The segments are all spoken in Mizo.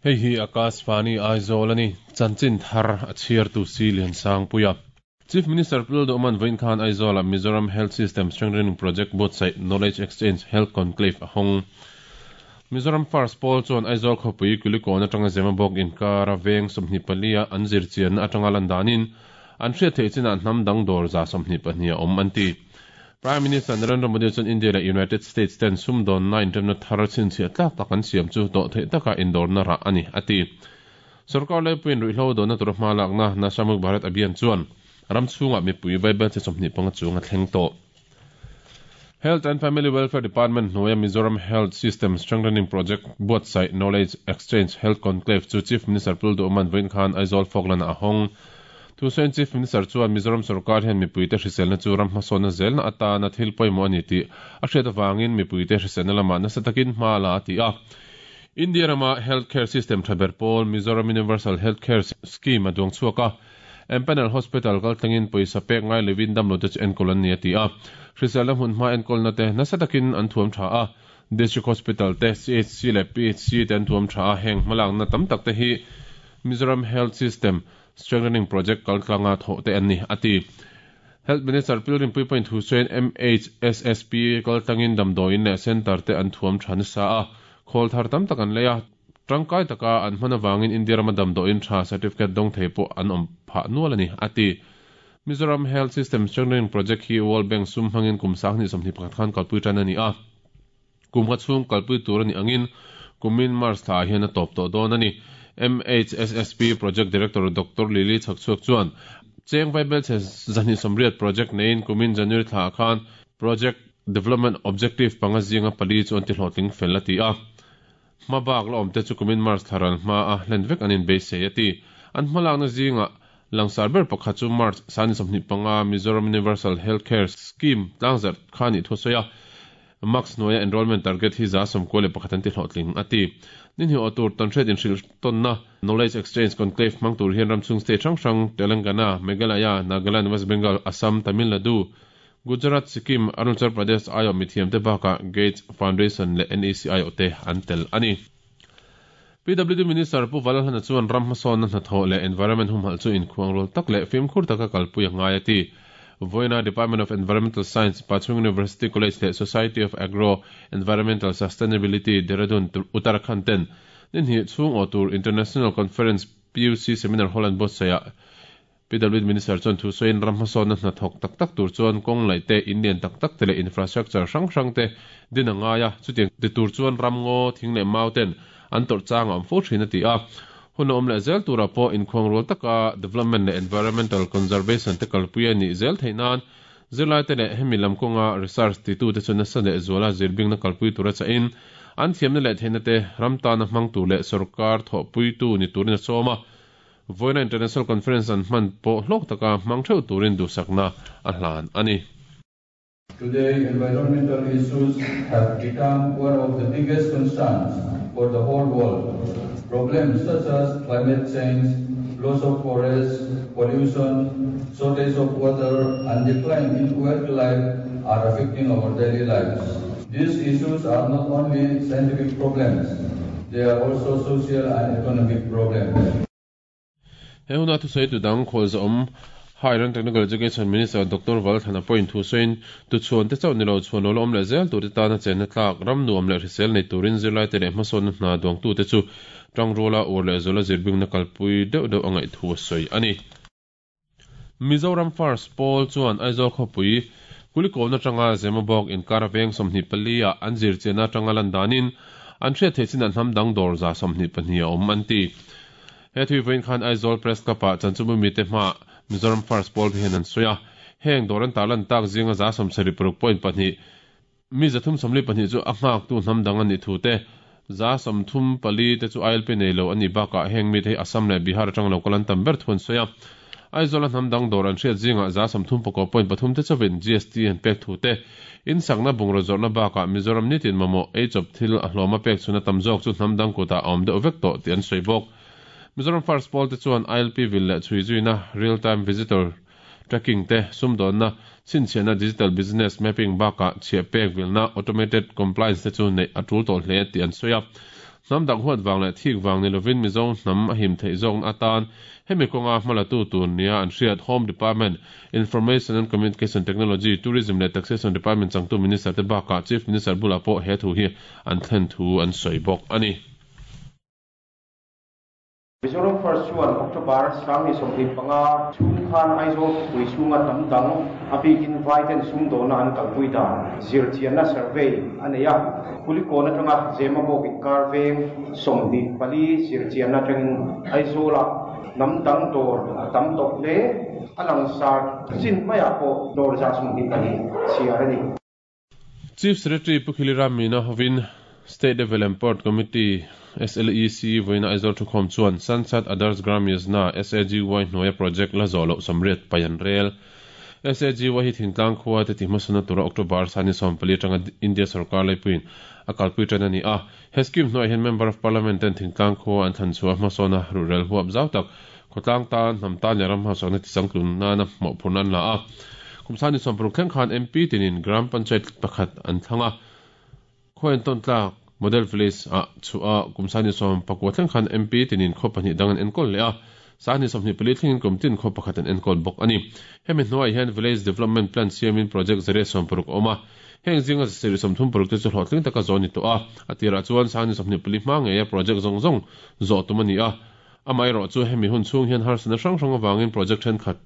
Hei hi Akashvani Aizawl a ni. Chanchin thar a chhiartu si Liansangpuia. Chief Minister Pu Lalduhman vawiin khan Aizawla Mizoram Health System Strengthening Project buatsaih Knowledge Exchange Health Conclave a hawng. Mizoram First Pawl chuan Aizawl khawpui Kulikawn atanga Zemabawk inkara veng 24 a an zirchianna atanga lan danin an hriat theih chinah hnam dang dawr 122 a awm an ti. Prime Minister Narendra Modi chuan India leh United States ten sumdawnna inremna thar chhinchhiah tlak tak an siam chu dawhtheih taka indawrna rah a ni, a ti. Sorkar laipuiin ruihhlo dawhna tura hma lakna Nasha Mukht Bharat Abhiyan chuan ram chhungah mipui vaibelchhe 25 chung a thleng tawh. Health and Family Welfare Department hnuaia Mizoram Health System Strengthening Project buatsaih Knowledge Exchange Health Conclave chu Chief Minister Pu Duhman vawiin khan Aizawl Falkland-ah a hawng. Thusawiin Chief Minister chuan Mizoram sorkar hian mipuite hriselna chu ram hmasawnna zelna atana thil pawimawh a ni tih a hriat avangin mipuite hriselna lamah nasa takin hma la a ti a. India rama health care system tha ber pawl Mizoram Universal Health Care Scheme a duang chhuak a, Empanel Hospital kal thlengin pawisa pek ngai lovin damlote chu enkawl an ni a ti a. Hriselna hmun hma enkawlna te nasa takin an thuam tha a, District Hospital te, CHC leh PHC te an thuam tha a, heng hmalakna tam tak te hi Mizoram Health System Strengthening Project kal tlanga thawh te an ni a ti. Health Minister Pilgrim Puipuiin thu sawiin MHSSP kal tlangin damdawiin leh centre te an thuam tha nasa a, khawl thar tam tak an lei a, tangkai taka an hman avangin India rama damdawiin tha certificate dawng thei pawh an awm phah nual a ni, a ti. Mizoram Health System Strengthening Project hi World Bank sum hmangin kum 2021 khan kalpui tan a ni a, kum kha chhung kalpui tur a nih angin kumin March thla ah hian a tawp tawh dawn a ni. MHSSP Project Director Doctor Lily Chhakchhuak chuan cheng vaibelchhe 280 project neiin kumin January thla ah khan Project Development Objective panga zinga pali chu an ti hlawhtling fel a ti a. Hma bak la awmte chu kumin March thla ral hma a hlen vek an inbeisei a ti. An hmalakna zingah langsar ber pakhat chu March 25 Mizoram Universal Health Care Scheme tlangzarh kha nih thu a sawi a. Max hnuaia enrollment target hi 91% an ti hlawhtling, a ti. Ni hnih awh tur tawnhriat inhrilh tawnna, Knowledge Exchange Conclave hmang tur hian ramchhung state hrang hrang, Telangana, Meghalaya, Nagaland, West Bengal, Assam, Tamil Nadu, Gujarat, Sikkim, Arunachal Pradesh aiawh mithiamte bakah Gates Foundation leh NEC aiawhte an tel a ni. PWD Minister Pu Valalhana chuan ram hmasawnna hnathawh leh environment humhalh chu inkhuangrual tak leh fimkhur taka kalpui a ngai a ti. Vawiina Department of Environmental Science, Pachhung University College leh Society of Agro Environmental Sustainability, Dehradun, Uttarakhand ten ni hnih chhung awh tur International Conference PUC Seminar Hall an buatsaih ah PWD Minister chuan thu sawiin ram hmasawnna hna thawk tak tak tur chuan kawng laih te, in lian tak tak te leh infrastructure hrang hrang te din a ngai a, chutiang ti tur chuan ram ngaw, thing leh mau ten an tawrh chang a awm fo thin a ti a. Hun a awm leh zel turah pawh inkhuangrual taka development leh environmental conservation te kalpui a nih zel theih nan zirlaite leh hemi lam kawnga research titute chu nasa leh zuala zirbingna kalpui tura chahin an thiamna leh theihna te ram tana hmang tur leh sorkar thawhpuitu ni turin a sawm a. Vawiina International Conference an hman pawh hlawk taka hmang theuh turin duhsakna a hlan a ni. Today, environmental issues have become one of the biggest concerns for the whole world. Problems such as climate change, loss of forests, pollution, shortage of water, and decline in wildlife are affecting our daily lives. These issues are not only scientific problems, they are also social and economic problems. He huna thusawi tu dang khualzawm Higher and Technical Education Minister Doctor Valthana pawhin thusawiin tu chhuan te chauh ni lo chhuan lo la awm leh zel tur te tana chenna tlak ram nuam leh hrisel nei turin zirlaite leh hmasawnna hna duangtute chu tangruala uar leh zuala zirbingna kalpui deuh deuh a ngaih thu a sawi a ni. Mizoram First Pawl chuan Aizawl khawpui Kulikawn atanga Zemabawk inkar veng 24 ah an zirchianna atanga lan danin an hriat theih chinah hnam dang dawr 122 a awm an ti. He thui vawiin khan Aizawl Press Club ah Chanchumbu mite hmaah Mizoram First Pawl te hian an sawi a. Heng dawr an tarlan tak zinga 76.2 Mi 342 chu a nghaktu hnam dang a nih thu te, 34 te chu ILP nei lo a nih bakah heng mite hi Assam leh Bihar atang lo kal an tam ber thu an sawi a. Aizawla hnam dang dawr an hriat zingah 39.3 te chauhin GST an pek thu te, in sakna bungraw zawrhna bakah Mizoram nitin mamawh ei chawp thil a hlawma pek chhuna tam zawk chu hnam dang kutah a awm deuh vek tawh tih an sawi bawk. Mizoram First Pawl te chuan ILP vil leh chhui zuina, Real Time Visitor, tracking te, sumdawnna, chhinchhiahna digital business mapping bakah chhiah pek vilna automated compliance te chu neih a tul tawh hle tih an sawi a. Hnam dang huat vang leh thik vang ni lovin Mizo hnam a him theih zawkna atan hemi kawnga hmalatu tur nia an hriat Home Department, Information and Communication Technology, Tourism leh Taxation Department changtu Minister te bakah Chief Minister bulah pawh he thu hi an thlen thu an sawi bawk a ni. Mizoram First chuan October 2025 chhung khan Aizawl khawpui chhunga hnam dang, a bikin Vaiten sumdawna an kalpui dan zirchianna survey a nei a. Kulikawn atanga Zemabawk inkar veng 24 zirchianna atangin Aizawlah hnam dang dawr a tam tawh hle. A langsar chin maiah pawh dawr 124 chhiar a ni. Chief Secretary Pu Khilira Meena hovin State Level Empowered Committee, SLEC, vawiina Aizawl thukhawm chuan Sansad Adarsh Gram Yojana, SAGY, hnuaia project la zawh loh sawmriat pai an rel. SAGY hi thingtlang khua te tihhmasana tura October sani 14 atanga India sorkar laipuiin a kalpui tan a ni a. He scheme hnuaiah hian Member of Parliament ten thingtlang khua an thlan chhuah hmasawna ruhrel huap zau tak Khawtlang tan, hnam tan leh ram hausakna tichangtlun nana mawhphurhna an la a. Kum sani 60 thleng khan MP tinin Gram Panchayat pakhat an thlang a. Khaw entawn tlak, Model Village, ah chhuah a, kum sani 19 thleng khan MP tinin khaw pahnih dang an enkawl leh a. Sani 24 thlengin kum tin khaw pakhat an enkawl bawk a ni. Hemi hnuaiah hian Village Development Plan siamin project 160 a awm a. Heng zinga 136 te chu hlawhtling taka zawh a ni tawh a. A tirah chuan sani 24 hma ngeia project zawng zawng zawh tum a ni a. Amaherawh chu hemi hun chhung hian harsatna hrang hrang avangin project thenkhat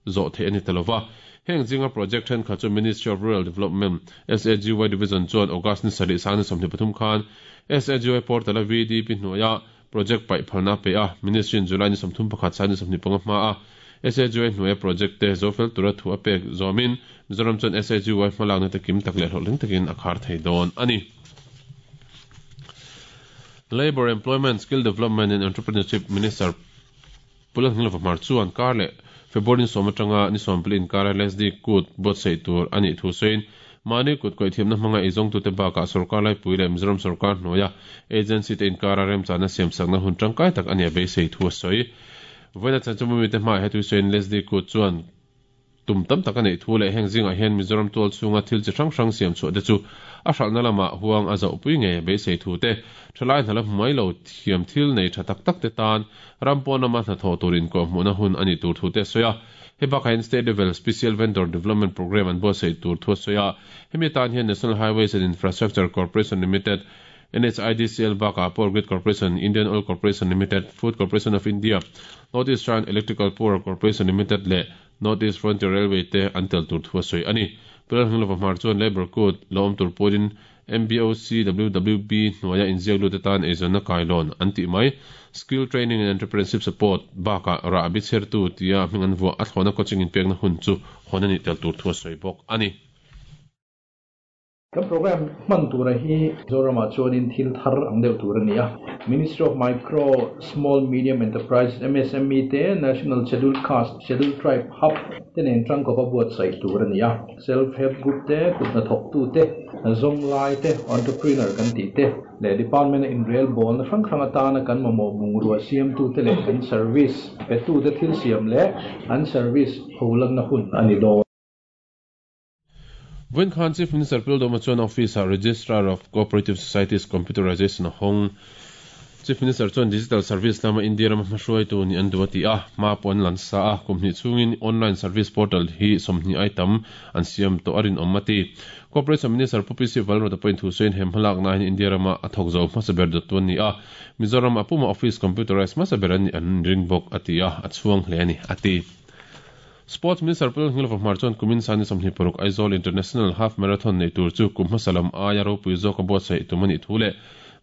zawh theih a ni ta lova. Heng zinga project thenkhat chu Ministry of Rural Development, SAGY Division chuan August ni sarih sang ni 23 khan SAGY portal a VDP hnuaia project paih phalna a pe a, Ministry in July ni 31 sang ni 25 hma a SAGY hnuaia project te zo fel tura thu a pek zawmin Mizoram chuan SAGY hmalakna te kim tak leh hlawhtling takin a khar thei dawn a ni. Labour, Employment, Skill Development and Entrepreneurship Minister Pu Lalhnilova Hmar chuan kar leh February ni sawm atanga ni sawmpali inkara LSD kut buatsaih tur a nih thu sawiin mahni kut kawih thiamna hmanga eizawngtute bakah sorkar laipui leh Mizoram sorkar hnuaia agency te inkara remchana siamsakna hun tangkai tak a nia beisei thu a sawi. Vawiina chanchinbu mite hmaah hetui sawiin LSD kut chuan Tum tam tak a neih thu leh heng zingah hian Mizoram tual chhunga thil chi hrang hrang siam chhuah te chu a hralhna lamah huang a zauhpui ngei a beisei thu te, thalai hna la hmu mai lo thiam thil nei tha tak tak te tan ram pawn lama hnathawh tur inkawhhmuhna hun a nih tur thu te a sawi a. Hei bakah hian State Level Special Vendor Development Programme an buatsaih tur thu a sawi a. Hemi atan hian National Highways and Infrastructure Corporation Limited, NHIDCL bakah Power Grid Corporation, Indian Oil Corporation Limited, Food Corporation of India, North Eastern Electrical Power Corporation Limited leh North East Frontier Railway te an tel tur thu a sawi a ni. Pu Lalhmilova Hmar chuan Labour Code la awm tur pawhin MBOCWWB hnuaia inziak lut atan eizawnna kailawn an tih mai. Skill Training and Entrepreneurship Support bakah rah bichhertu tia hming an vuah a thlawhna coaching inpekna hun chu hawn a nih tel tur thu a sawi bawk a ni. Kan program hman tura hi Zoramah chuanin thil thar ang deuh tur a ni a. Ministry of Micro, Small, Medium Enterprises, MSME, te National Scheduled Caste, Scheduled Tribe Hub te nen tangkawpa buatsaih tur a ni a. Self Help Group te, kut hnathawktu te, zawnglai te, entrepreneur kan tih te leh department a inrelbawlna hrang hrang atana kan mamawh bungrua siamtu te leh kan service petute thil siam leh an service pholanna hun a ni dawn. Vawiin khan Chief Minister Pu Lalduhoma chuan Office-ah Registrar of Cooperative Societies Computerization a hawng. Chief Minister chuan Digital Service lama India rama hmahruaitu nih an duh a ti a, hma pawh an lan sa a, kum hnih chhungin online service portal hi 20 ai tam an siam tawh a rinawm a ti. Cooperation Minister Pu PC Valrota pawhin thu sawiin he hmalakna hian India rama a thawk zo hmasa ber dawttu an ni a, Mizoram a puma office computerized hmasa ber an nih an ring bawk a ti a, a chhuang hle a ni a ti. Sports Minister Pu Lalhngilova Hmar chuan kumin sani 26 Aizawl International Half Marathon neih tur chu kum hmasa lam aia ropui zawka buatsaih tum a nih thu leh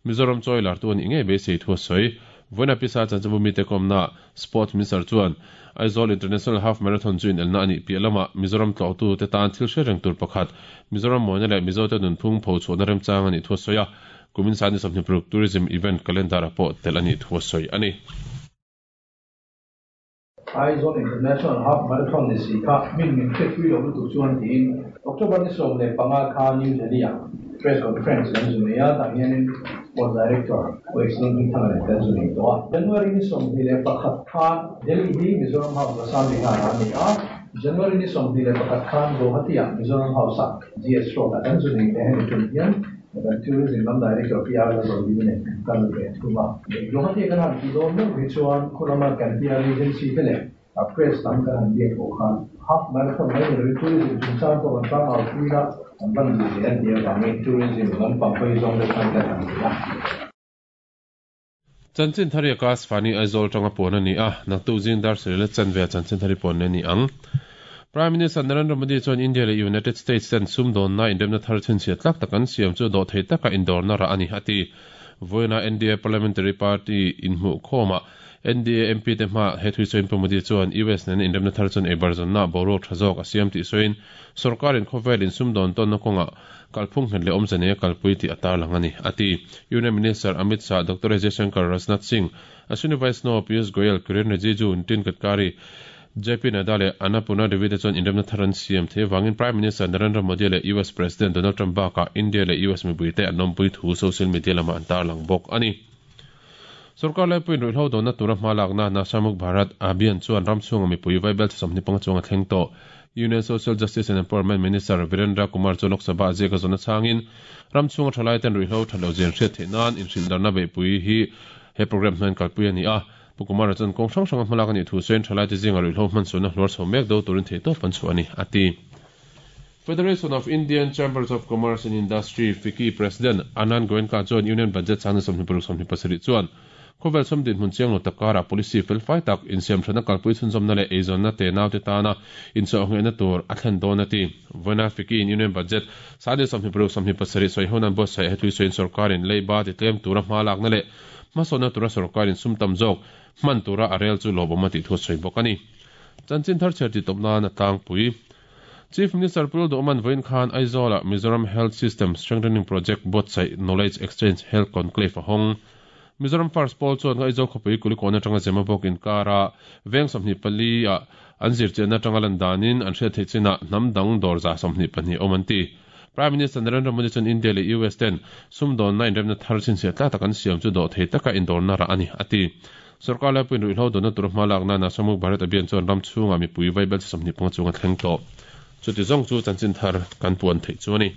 Mizoram chawi lartu a nih ngei beisei thu a sawi. Vawiina Pisa chanchinbu mite kawmnaah Sports Minister chuan Aizawl International Half Marathon chu inelna a nih piah lamah Mizoram tlawhtute tan thil hre reng tur pakhat Mizoram mawina leh Mizote nunphung phochhuahna remchang a nih thu a sawi a, kumin sani 26 Tourism Event Calendar-ah pawh telh a nih thu a sawi a ni. Aizawl International Half Marathon ni si kha min min hriatpui lo lutuk chuan tiin October ni 15 kha New Delhi-ah Press Conference kan zu nei a, tah hianin Sports Director OX Lalhmingthanga nen kan zu nei tawh a. January ni 21 khan Delhi hi Mizoram House Assam Bihar-ah a ni a. January ni 21 khan Guwahati-ah Mizoram House-ah GS Road-ah kan zu nei leh hemi tum hian kan Tourism lam Director PR Lalzawlimi nen kan kal ve thung a. Guwahati-a kan han tih dawn meuh hi chuan khulama kan PR agency te leh press lam kan han biak pawh khan half marathon mai ni lovin tourism chungchang pawh kan tlangau pui la kan van duh ve a nih avangin tourism lampang hawi zawng deuh khan kan han ti a. Chanchin Thari Akashvani Aizawl tanga puan a ni a, naktuk zing dar sarih la chanve a Chanchin Thari puan leh a ni ang. Prime Minister Narendra Modi chuan India leh United States ten sumdawnna inremna thar chhinchhiah tlak tak an siam chu dawhthei taka indawrna rah a ni, a ti. Vawiina NDA Parliamentary Party inhmuhkhawmah NDA MP te hmaah he thui sawiin Pu Modi chuan US nena inremna thar chuan eibarzawnna boruak tha zawk a siam tih sawiin sorkarin khawvel insumdawn tawnna kawngah kalphung nghet leh awmze nei a kalpui tih a tarlang a ni, a ti. Union Minister Amit Shah, Doctor S Jaishankar, Rajnath Singh, Ashwini Vaishnaw, Piyush Goyal, Kiren Rijiju, Nitin Gadkari, JP Nadda leh Annapurna Devi te chuan inremna thar an siam thei avangin Prime Minister Narendra Modi leh US President Donald Trump bakah India leh US mipuite an awmpui thu social media lamah an tarlang bawk a ni. Sorkar laipuiin ruihhlo dawhna tura hma lakna Nasha Mukh Bharat Abhiyan chuan ram chhunga mipui vaibel chi 25 chuang a thleng tawh. Union Social Justice and Empowerment Minister Virendra Kumar chu Lok Sabha a ziak a zawn achangin ram chhunga thalaiten ruihhlo that loh zia an hriat theih nan inhrilhdarna beihpui hi he programme hnuaiin kalpui a ni a. Pu Kumara chuan kawng hrang hranga hmalak a nih thu sawiin thalaite zinga ruihhlo hmansualna hluar chho mek do turin theihtawp an chhuah a ni, a ti. Federation of Indian Chambers of Commerce and Industry, FICCI, President Anand Goenka chuan Union Budget chhana 26 27 chuan khawvel sum dinhmun chiang lo tak karah policy felfai tak insiamthatna kalpui chhunzawmna leh eizawnna te naute tana inchawhnghehna tur a thlen dawn a ti. Vawiina FICCI in Union Budget 26 27 sawiho nan buatsaih hetui sawiin sorkarin leiba titlem tura hma lakna leh hmasawnna tura sorkarin sum tam zawk hman tura a rel chu lawmawm a tih thu a sawi bawk a ni. Chanchin thar chhiar titawp nan a tlangpui. Chief Minister Pu Lalduhman vawiin khan Aizawl-ah Mizoram Health System Strengthening Project buatsaih Knowledge Exchange Health Conclave a hawng. Mizoram First Pawl chuan Aizawl khawpui Kulikawn atanga Zemabawk inkara veng 24 ah an zirchianna atanga lan danin an hriat theih chinah hnam dang dawr 22 awm an ti. Prime Minister Narendra Modi chuan India leh US ten sumdawnna inremna thar chhinchhiah tlak tak an siam chu dawhthei taka indawrna rah a ni, a ti. Sorkar laipuiin ruihhlo dawhna tur hma lakna Nasha Mukh Bharat Abhiyan chuan ram chhungah mipui vaibel chi 25 chung a thleng tawh. Chuti zawng chu chanchin thar kan puan theih chu a ni.